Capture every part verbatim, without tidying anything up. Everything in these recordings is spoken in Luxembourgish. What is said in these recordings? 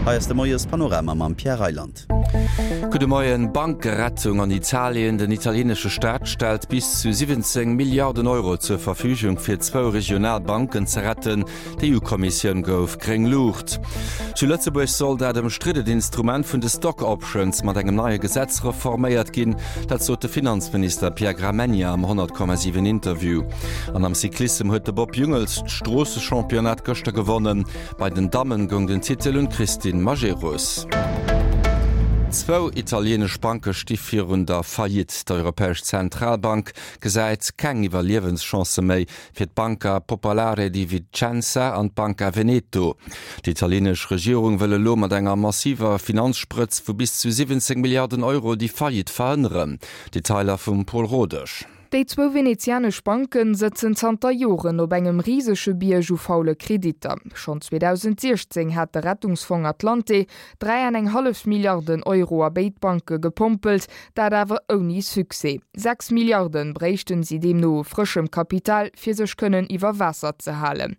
Hei ass de Moiespanorama mam Pierre Reyland. Gudde Moien, Bankerettung an Italien, Den italienesche Staat stellt bis zu siwwenzéng Milliarden Euro zur Verfügung fir zwou regional Banken ze retten. D'EU-Kommissioun gouf gréng Luucht. Zu Lëtzebuerg soll dat ëmstriddent Instrument vun de Stock Options mat engem neie Gesetz reforméiert ginn. Dat sot de Finanzminister Pierre Gramegna am honnert Komma siwen Interview. An am Cyclissem huet de Bob Jungels d'Stroossechampionnat gëschter gewonnen. Bei den Dammen goung den Titel un d'Christine Majerus. Zwou italienesch Banke sti virun der Faillite. D'Europäesch Zentralbank gesäit keng Iwwerliewenschance méi fir d'Banca Popolare di Vicenza an d'Banca Veneto. D'italieenesch Regierung wëll elo mat enger massiver Finanzsprëtz vu bis zu siwwenzéng Milliarden Euro déi Faillite verhënneren. Detailer vum Paul Rodesch. Déi zwou venezianesch Banke sëtzen zanter Joren op engem risege Bierg u faule Kreditter. Schonn zweedausendsiechzéng hat de Rettungsfong Atlante dräi an eng hallef Milliarden Euro a béid Banke gepompelt, dat awer ouni Succès. Sechs Milliarde bréichten si deemno u frëschem Kapital, fir sech kënnen iwwer Waasser ze halen.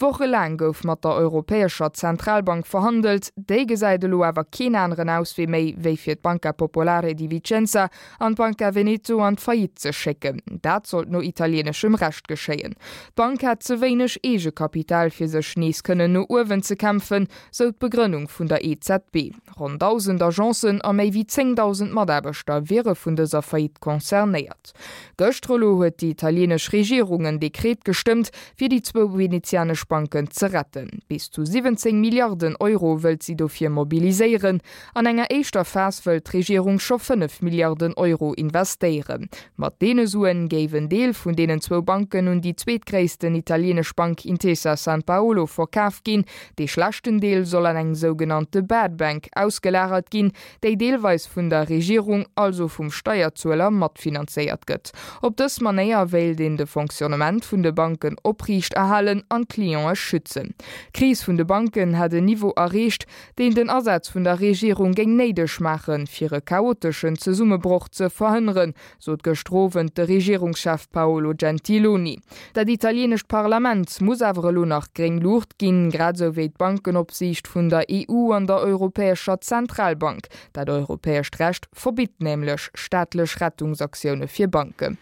Wochelaang gouf mat der Europäescher Zentralbank verhandelt. Déi gesäit elo awer keen aneren Auswee méi, wéi fir d'Banca Popolare di Vicenza an d'Banca Veneto an d'Faillite ze schécken. Dat sollt no italieneschem Recht geschéien. D'Bank hätt ze wéineg Eegekapital fir sech nees kënnen no uewen ze kämpfen, sou d'Begrënnung vun der E Z B. Ronn dausend Agencen a méi wéi zéngdausend Mataarbechter wiere vun dëser Faillite concernéiert. Gëschter elo huet déi italienesch Regierung en Dekret gestëmmt, fir déi zwou venezianesch Banken ze retten. Bis zu siwwenzéng Milliarden Euro wëllt si dofir mobiliséieren. An enger éischter Phas wëllt d'Regierung scho fënnef Milliarden Euro investéieren. Mat deene Suen géif en Deel vun deenen zwou Banken un déi zweetgréissten italienesch Bank Intesa Sanpaolo verkaf ginn. Dee schlechten Deel soll an eng sougenannte Bad Bank ausgelagert ginn, déi deelweis vun der Regierung, also vum Steierzueler, matfinanzéiert gëtt. Op dës Manéier wéilt een de Fonctionnement vun de Banken opriicht erhalen an d'Cliente schützen. D'Kris vun de Banken hätt en Niveau erreecht, deen den Asaz vun der Regierung géing néideg maachen, fir e chaoteschen Zesummebroch ze verhënneren, sot gëschter Owend de Regierungschef Paolo Gentiloni. Dat italienescht Parlament muss awer elo nach gréng Luucht ginn, grad esou wéi d'Bankenopsiicht vun der E U an der Europäescher Zentralbank. Dat europäescht Recht verbitt nämlech staatlech Rettungsaktioune fir Banken.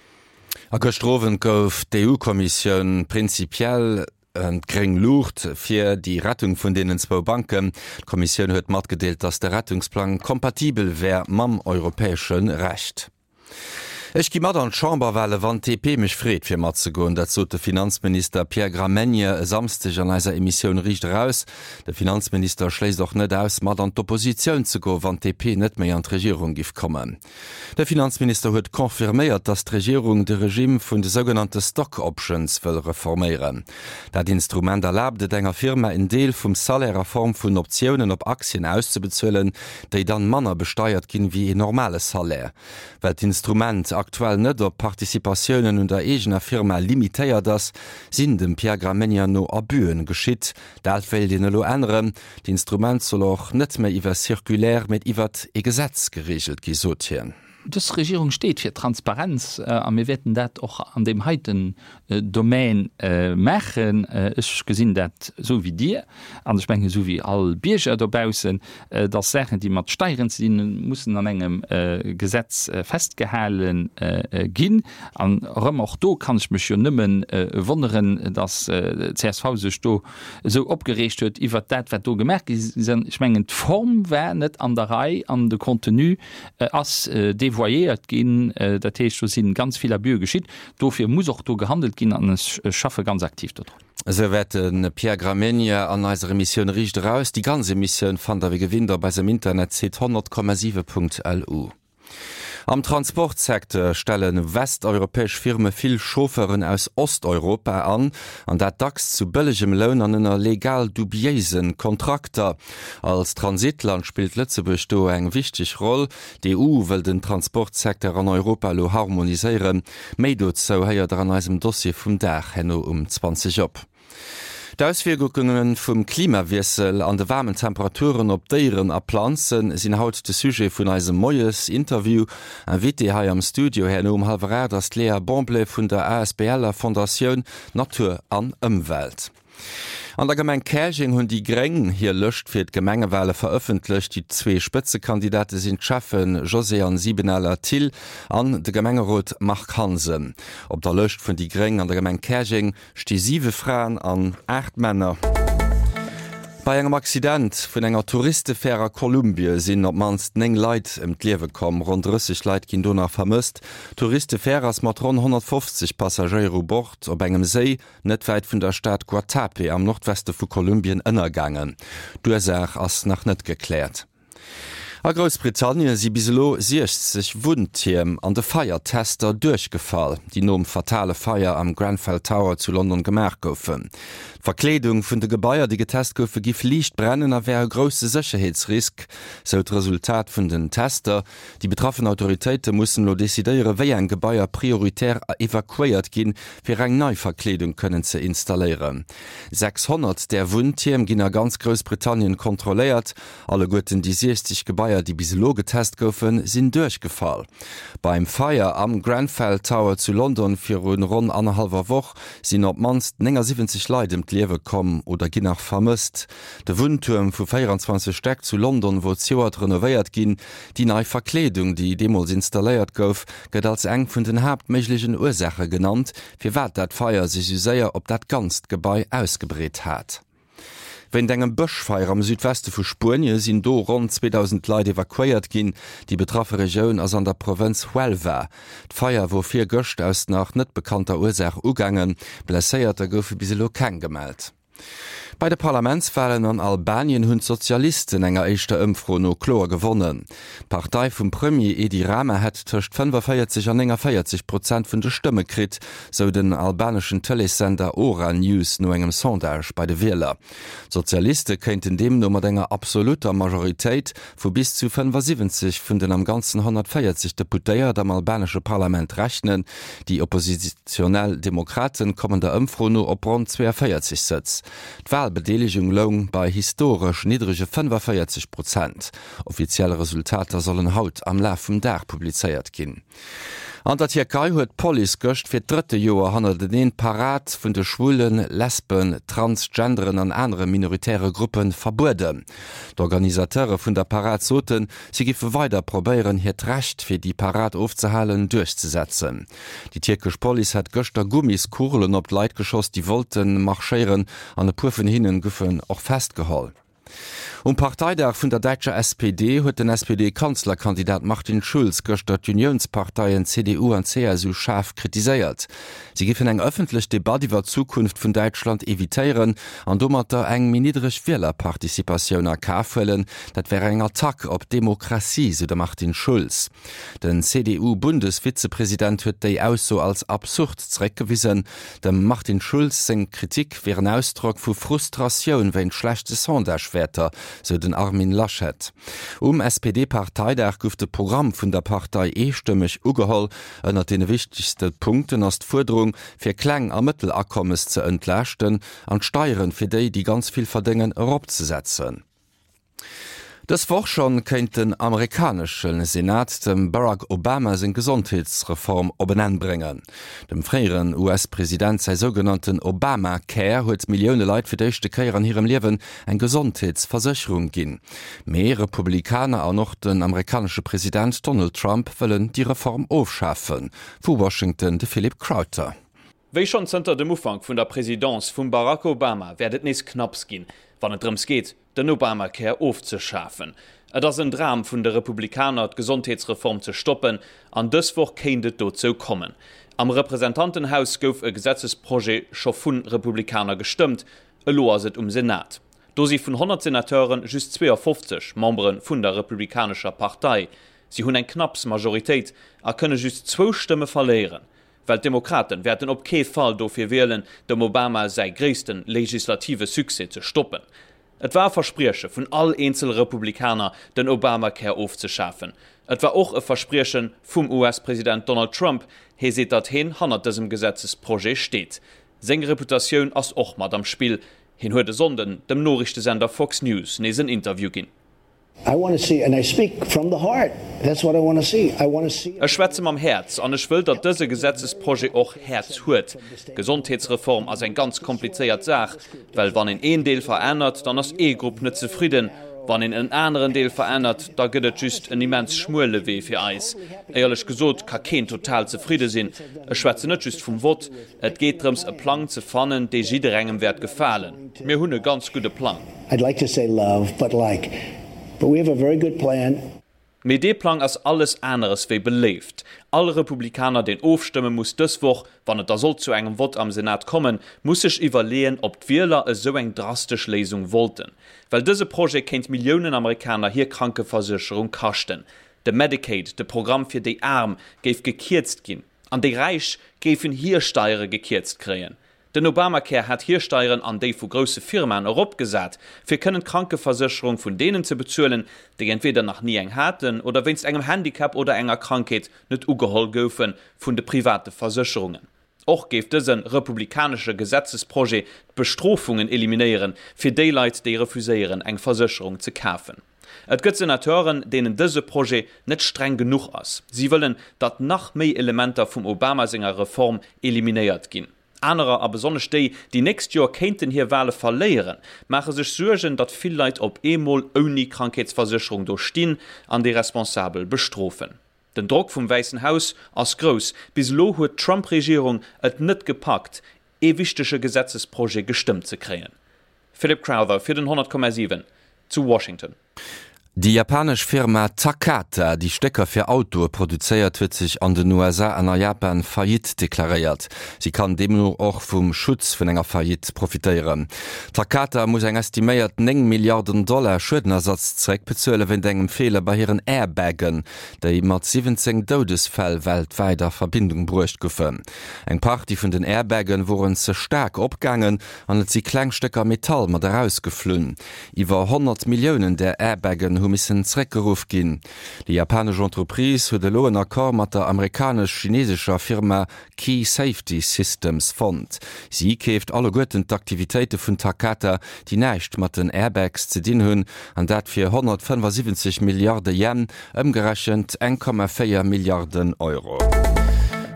A gëschter Owend gouf d'EU-Kommissioun prinzipiell d'gréng Luucht fir déi Rettung vun deenen zwou Banken. D'Kommissioun huet matgedeelt, datt de Rettungsplang kompatibel wär mam europäesche Recht. Ech gi mat an d'Chamberwale wann d'D P mech freet fir matzegoen, dat sot de Finanzminister Pierre Gramegna e Samsdeg an eiser Emissioun Riicht Eraus. De Finanzminister schléisst och net aus, mat an d'Oppositioun ze goen, wann d'D P net méi an d'Regierung giff kommen. De Finanzminister huet confirméiert, datt d'Regierung de Regime vun de sougenannte Stock Options wëll reforméieren. Dat Instrument erlaabt et enger Firma, en Deel vum Salaire a Form vun Optiounen op Aktien auszebezuelen, déi dann manner besteiert ginn wéi een normale Salaire. Well d'Instrument aktuell net op Participatiounen un der eegener Firma limitéiert ass, sinn dem Pierre Gramegna no Abüen geschitt. Dat wéilt een elo änneren. D'Instrument soll och net méi iwwer Circulaire, mee iwwert e Gesetz gereegelt gi, sot hien. Dës Regierung steet fir Transparenz a mir wäerten dat och an deem heiten Domän maachen. Ech gesinn dat esou wéi Dir an ech mengen esou wéi all Bierger dobaussen, dass Saachen, déi mat Steieren ze dinn hunn, mussen an engem Gesetz festgehale ginn. An erëm och do kann ech mech jo nëmme wonneren, dass d'C S V sech do esou opgereegt huet iwwert dat, wat do gemaach gi ass. Ech mengen, d'Form war net an der Rei an de Contenu ass devoyéiert ginn. Dat heescht, do si ganz vill Abüe geschitt. Dofir muss och do gehandelt ginn an ech schaffe ganz aktiv dodrun. Esouwäit de Pierre Gramegna an eiser Emissioun Riicht Eraus. Déi ganz Emissioun fannt der wéi gewinnt op eisem Internetsite honnert Komma siwe Punkt L U. Am Transportsecteur stelle westeuropäesch Firme vill Chauffeuren aus Osteuropa an, an dat dacks zu bëllegem Loun an ënner legal dubiéise Kontrakter. Als Transitland spillt Lëtzebuerg do eng wichteg Roll. D'E U wëll den Transportsecteur an Europa elo harmoniséieren. Méi dozou héiert der an eisem Dossier vum Dag herno um zwanzeg op. D'Auswierkunge vum Klimawiessel an de waarmen Temperaturen op Déieren a Planzen sinn haut de Sujet vun eisem Moies-Interview. Invitée hei am Studio herno um hallwer aacht ass d'Léa Bomblé vun der A S B L-er Fondatioun Natur an Ëmwelt. An der Gemeng Käerjeng hunn déi Gréng hir Lëscht fir d'Gemengewale verëffentlecht. Déi zwee Spëtzekandidate sinn d'Schäffe Josée-Anne Siebenaler-Thill an de Gemengerot Marc Hansen. Op der Lëscht vun déi Gréng an der Gemeng Käerjeng sti siwe Fraen an aacht Männer. Bei engem Accident vun enger Touristefär a Kolumbie sinn op d'mannst néng Leit ëm d'Liewe komm. Ronn drësseg Leit ginn do nach vermësst. D'Touristefär ass mat ronn honnertfofzeg Passagéier u Bord op engem Séi net wäit vun der Stad Guatape am Nordweste vu Kolumbien ënnergaangen. D'Ursaach ass nach net gekläert. A Groussbritannien si bis elo siechzeg Wunntierm an de Feiertester duerchgefall, déi nom fatale Feier am Grenfell Tower zu London gemaach goufen. D'Verkleedung vun de Gebaier, déi getest goufe, giff liicht brennen a wär e grousse Sécherheetsrisk, sou d'Resultat vun den Tester. Déi betraffen Autoritéite mussen elo decidéieren, wéi eng Gebaier prioritär evakuéiert ginn, fir eng nei Verkleedung kënnen ze installéieren. sechshonnert där Wunntierm ginn a ganz Groussbritannien kontrolléiert. Alleguerten déi siechzeg Gebaier, déi bis elo getest goufen, sinn duerchgefall. Beim Feier am Grenfell Tower zu London virun ronn annerhallwer Woch sinn op d'mannst néngasiwwenzeg Leit ëm d'Liewe komm oder ginn nach vermësst. De Wunntuerm vu véieranzwanzeg Stäck zu London wor zejoert renovéiert ginn. Déi nei Verkleedung, déi deemools installéiert gouf, gëtt als eng vun den haaptméiglechen Ursaache genannt, firwat dat Feier sech esou séier op dat ganzt Gebai ausgebreet hat. Wéint engem Bëschfeier am Südweste vu Spuenie sinn do ronn zweedausend Leit evakuéiert ginn. Déi betraffe Regioun ass an der Provënz Huelva. D'Feier wor virgëscht aus nach net bekannter Ursaach ugaangen. Blesséierter goufe bis elo keng gemellt. Bei de Parlamentswalen an Albanien hunn d'Sozialisten enger éischter Ëmfro no kloer gewonnen. D'Partei vum Premier Edi Rama hätt tëscht fënnefaféierzeg an néngaféierzeg Prozent vun de Stëmme kritt, sou den albaneschen Tëleessender Ora News no engem Sondage bei de Wieler. D'Sozialiste kéinten deemno mat enger absolutter Majoritéit vu bis zu fënnefasiwwenzeg vun den am Ganzen honnertvéierzeg Deputéiert am albanesche Parlament rechnen. Déi oppositionell Demokraten kommen der Ëmfro no op ronn zweeënvéierzeg Sëtz. D'Walbedeelegung loung bei historesch niddrege fënnefaféierzeg Prozent. Offiziell Resultater sollen haut am Laf vum Dag publizéiert ginn. An der Tierkei huet d'Police gëscht fir d'drëtte Joer hannerteneen d'Parad vun de Schwulen, Lesben, Transgenderen an anere minoritäre Gruppe verbueden. D'Organisateure vun der Parad soten, si giffe weider probéieren, hiert Recht, fir déi Parad ofzehalen, duerchzesetzen. Déi tierkesch Police hätt gëschter Gummiskugelen op d'Leit geschoss, déi wollte marschéieren, an e puer vun hinnen goufen och festgeholl. Um Parteidag vun der däitscher S P D huet den S P D-Kanzlerkandidat Martin Schulz gëschter d'Uniounsparteien C D U an C S U schaarf kritiséiert. Si géifen eng ëffentlech Debatt iwwer d'Zukunft vun Däitschland evitéieren an domatter eng méi niddreg Wielerparticipatioun a Kaf huelen. Dat wär eng Attack op d'Demokratie, sou de Martin Schulz. Den C D U-Bundesvizepresident huet déi Ausso als absurd zeréckgewisen. Dem Martin Schulz seng Kritik wier en Ausdrock vu Frustratioun wéint schlechte Sondagewäerter, sou den Armin Laschet. Um S P D-Parteidag gouf de Programm vun der Partei eestëmmeg ugeholl. Ënnert deene wichtegste Punkten ass d'Fuerderung, fir Kleng a Mëttelakommes ze entlaaschten an d'Steieren fir déi, déi ganz vill verdéngen, eropzesetzen. Dës Woch schonn kéint den amerikanesche Senat dem Barack Obama seng Gesondheetsreform op en Enn bréngen. Dem fréieren U S-President säi sougenannten Obamacare huet Millioune Leit fir d'éischte Kéier an hirem Liewen eng Gesondheetsversécherung ginn. Mee Republikaner an och den amerikanesche President Donald Trump wëllen déi Reform ofschafen. Vu Washington de Philip Crowther. Wéi schonn zënter dem Ufank vun der Presidence vum Barack Obama wäert et nees knapps ginn, wann et drëms geet, den Obamacare ofzeschafen. Et ass en Dram vun de Republikaner, d'Gesondheetsreform ze stoppen, an dës Woch kéint et dozou kommen. Am Representantenhaus gouf e Gesetzesprojet scho vu Republikaner gestëmmt, elo ass et um Senat. Do si vun honnert Senateure just zweeënfofzeg Membere vun der Republikanescher Partei. Si hunn eng knapps Majoritéit a kënne just zwou Stëmme verléieren. Well d'Demokraten wäerten op kee Fall dofir wielen, dem Obama säi gréisste legislative Succès ze stoppen. Et war e Versprieche vun all eenzele Republikaner, den Obamacare ofzeschafen. Et war och e Versprieche vum U S-President Donald Trump. Hie seet, datt hien hannert dësem Gesetzesprojet steet. Seng Reputatioun ass och mat am Spill. Hien huet e Sonnden dem Noriichtesender Fox News nees en Interview ginn. Ech schwätze mam Häerz an ech wëll, datt dëse Gesetzesprojet och Häerz huet. D'Gesondheetsreform ass eng ganz komplizéiert Saach, well wann een een Deel verännert, dann ass ee Grupp net zefridden. Wann een en aneren Deel verännert, da gëtt et just en immens schmuele Wee fir eis. Éierlech gesot ka keen total zefridde sinn. Ech schwätzen net just vum Vott. Et geet drëms, e Plang ze fannen, dee jidderengem wäert gefalen. Mir hunn e ganz gudde Plang. I'd like to say love, but like. But we have a very good plan. Mee dee Plang ass alles aneres wéi beléift. All Republikaner, deen ofstëmme muss dës Woch, wann et da sollt zu engem Vott am Senat kommen, muss sech iwwerleeën, ob d'Wieler esou eng drastesch Léisung wollten. Well dëse Projet kéint Milliounen Amerikaner hir Krankeversécherung kaschten. De Medicaid, de Programm fir déi Aarm, géif gekierzt ginn. An déi Räich géifen hir Steiere gekierzt kréien. Den Obamacare hat hir Steieren an déi vu grousse Firmaen eropgesat, fir kënnen d'Krankeversécherung vun deenen ze bezuelen, déi entweder nach ni eng haten oder wéinst engem Handicap oder enger Krankheet net ugeholl goufe vun de private Versécherungen. Och géif dëse republikanesche Gesetzesprojet d'Bestrofungen eliminéieren, fir déi Leit, déi refuséieren, eng Versécherung ze kafen. Et gëtt Senateuren, deenen dëse Projet net streng genuch ass. Si wëllen, datt nach méi Elementer vum Obama senger Reform eliminéiert ginn. Anerer, a besonnesch déi, déi nächst Joer kéinten hir Wale verléieren, maache sech Suergen, datt vill Leit op eemol ouni Krankheetsversécherung do stinn an déi Responsabel bestrofen. Den Drock vum Wäissen Haus ass grouss. Bis elo huet d'Trump-Regierung et net gepackt, ee wichtege Gesetzesprojet gestëmmt ze kréien. Philip Crowther fir den honnert Komma siwen zu Washington. Déi japanesch Firma Takata, déi Stécker fir Autoe produzéiert, huet sech an den U S A an a Japan Faillite deklaréiert. Si kann deemno och vum Schutz vun enger Faillite profitéieren. Takata muss eng estiméiert néng Milliarden Dollar Schuedenersatz zeréckbezuele wéint engem Feeler bei hiren Airbaggen, déi mat siwwenzéng Doudesfäll weltwäit a Verbindung bruecht goufen. Eng Partie vun den Airbagge woren ze staark opgaangen an et si kleng Stécker Metall mat erausgeflunn. Iwwer honnert Milliounen där Airbaggen hu missen zeréckgeruff ginn. Déi japanesch Entreprise huet elo en Accord mat der amerikanesch-chinesescher Firma Key Safety Systems fonnt. Si keeft alleguerten d'Aktivitéite vun Takata, déi näischt mat den Airbags ze dinn hunn, an dat fir honnertfënnefasiwwenzeg Milliarde Yen, ëmgerechent eng Komma véier Milliarden Euro.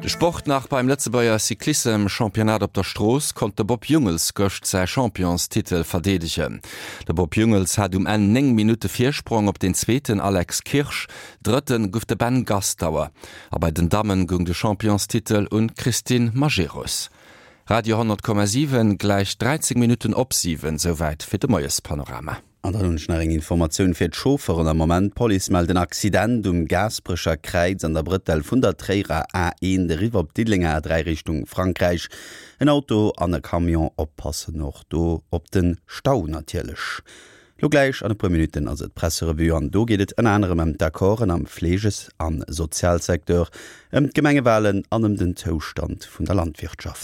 De Sport nach beim Lëtzebuerger Cyclissem-Championnat op der Strooss konnt de Bob Jungels gëscht säi Championstitel verdeedegen. De Bob Jungels hat um Enn néng Minutte Virsprong op den zweeten Alex Kirsch, drëtten gouf de Ben Gastauer. A bei den Dammen goung de Championstitel un d'Christine Majerus. Radio honnert Komma siwen, gläich dräizéng Minutten op siwen, souwäit fir de Moiespanorama. An dann hunn ech nach eng Informatioun fir d'Chauffeuren am Moment. D'Police mellt en Accident um Gaasperecher Kräiz an der Brëttel vun der Tréierer A eent eriwwer op d'Diddelenger A dräi Richtung Frankräich. En Auto an e Camion, oppassen och do op den Stau natierlech. Lo gläich an e puer Minutten ass et d'Presserevue an do geet et ënner anerem ëm d'Accorden am Fleeges- an Sozialsecteur, ëm d'Gemengewalen an ëm den Zoustand vun der Landwirtschaft.